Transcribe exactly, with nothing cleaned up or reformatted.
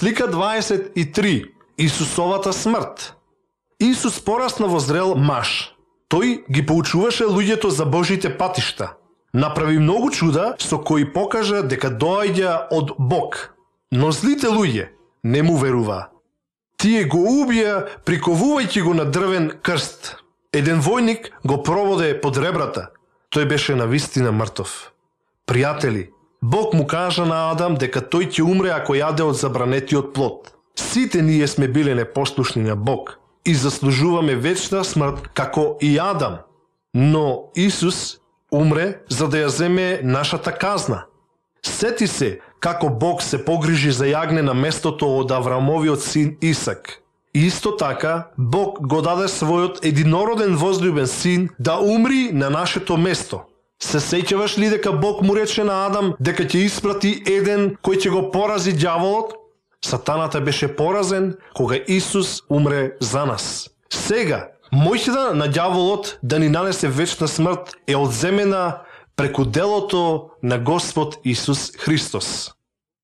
Слика дваесет и три. Исусовата смрт. Исус порасна во зрел маж. Тој ги поучуваше луѓето за Божите патишта. Направи многу чуда со кои покажа дека доаѓа од Бог. Но злите луѓе не му веруваа. Тие го убија приковувајќи го на дрвен крст. Еден војник го проводе под ребрата. Тој беше навистина мртов. Пријатели, Бог му кажа на Адам дека тој ќе умре ако јаде од забранетиот плод. Сите ние сме биле непослушни на Бог и заслужуваме вечна смрт како и Адам. Но Исус умре за да ја земе нашата казна. Сети се како Бог се погрижи за јагне на местото од Аврамовиот син Исак. Исто така, Бог го даде својот единороден возлюбен син да умри на нашето место. Се сеќаваш ли дека Бог му рече на Адам дека ќе испрати еден кој ќе го порази ѓаволот? Сатаната беше поразен кога Исус умре за нас. Сега, моќта на ѓаволот да ни нанесе вечна смрт е одземена преку делото на Господ Исус Христос.